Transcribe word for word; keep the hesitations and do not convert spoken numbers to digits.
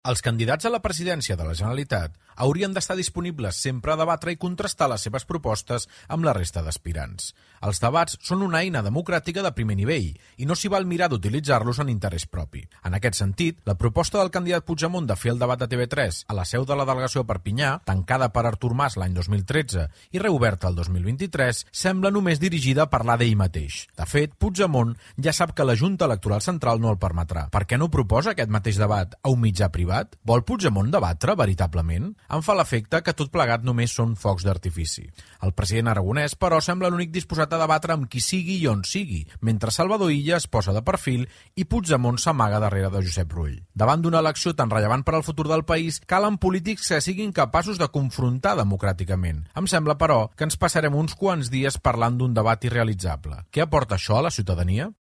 Els candidats a la presidència de la Generalitat haurien d'estar disponibles sempre a debatre i contrastar les seves propostes amb la resta d'aspirants. Els debats són una eina democràtica de primer nivell i no s'hi val mirar d'utilitzar-los en interès propi. En aquest sentit, la proposta del candidat Puigdemont de fer el debat de T V tres a la seu de la delegació a Perpinyà, tancada per Artur Mas l'any dos mil tretze i reoberta el dos mil vint-i-tres, sembla només dirigida a parlar d'ell mateix. De fet, Puigdemont ja sap que la Junta Electoral Central no el permetrà. Per què no proposa aquest mateix debat a un mitjà privat? Vol Puigdemont debatre veritablement? Em fa l'efecte que tot plegat només són focs d'artifici. El president aragonès, però, sembla l'únic disposat a debatre amb qui sigui i on sigui, mentre Salvador Illa es posa de perfil i Puigdemont s'amaga darrere de Josep Rull. Davant d'una elecció tan rellevant per al futur del país, calen polítics que siguin capaços de confrontar democràticament. Em sembla, però, que ens passarem uns quants dies parlant d'un debat irrealitzable. Què aporta això a la ciutadania?